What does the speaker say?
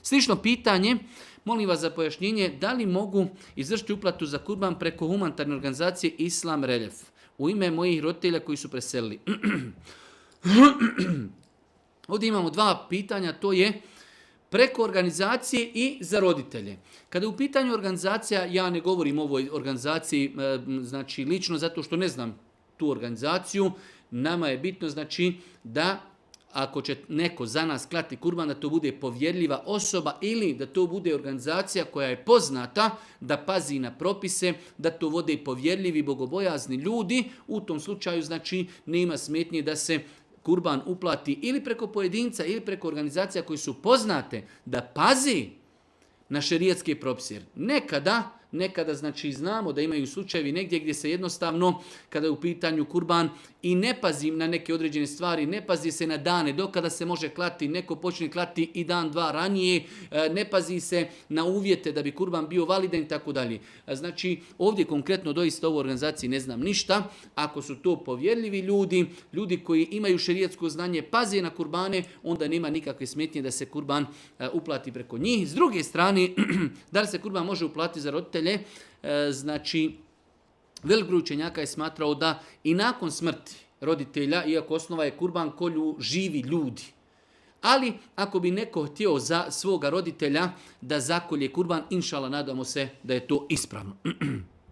Slično pitanje, molim vas za pojašnjenje, da li mogu izvršiti uplatu za kurban preko humanitarne organizacije Islam Reljef u ime mojih roditelja koji su preselili? Ovdje imamo dva pitanja, to je preko organizacije i za roditelje. Kada je u pitanju organizacija, ja ne govorim o ovoj organizaciji, znači lično zato što ne znam tu organizaciju, nama je bitno znači da ako će neko za nas klati kurban, da to bude povjerljiva osoba ili da to bude organizacija koja je poznata da pazi na propise, da to vode povjerljivi, bogobojazni ljudi. U tom slučaju znači nema smetnje da se kurban uplati ili preko pojedinca ili preko organizacija koji su poznate da pazi na šerijatske propise. Nekada znači znamo da imaju slučajevi negdje gdje se jednostavno, kada je u pitanju kurban, i ne pazi na neke određene stvari, ne pazi se na dane do kada se može klati, neko počne klati i dan, dva ranije, ne pazi se na uvjete da bi kurban bio validan i tako dalje. Znači ovdje konkretno doista u ovoj organizaciji ne znam ništa. Ako su to povjerljivi ljudi, ljudi koji imaju šerijatsko znanje, paze na kurbane, onda nema nikakve smetnje da se kurban uplati preko njih. S druge strane, da li se kurban može uplatiti za roditelje? Znači, velik broj učenjaka je smatrao da i nakon smrti roditelja, iako osnova je kurban, kolju živi ljudi. Ali ako bi neko htio za svoga roditelja da zakolje kurban, inšala nadamo se da je to ispravno.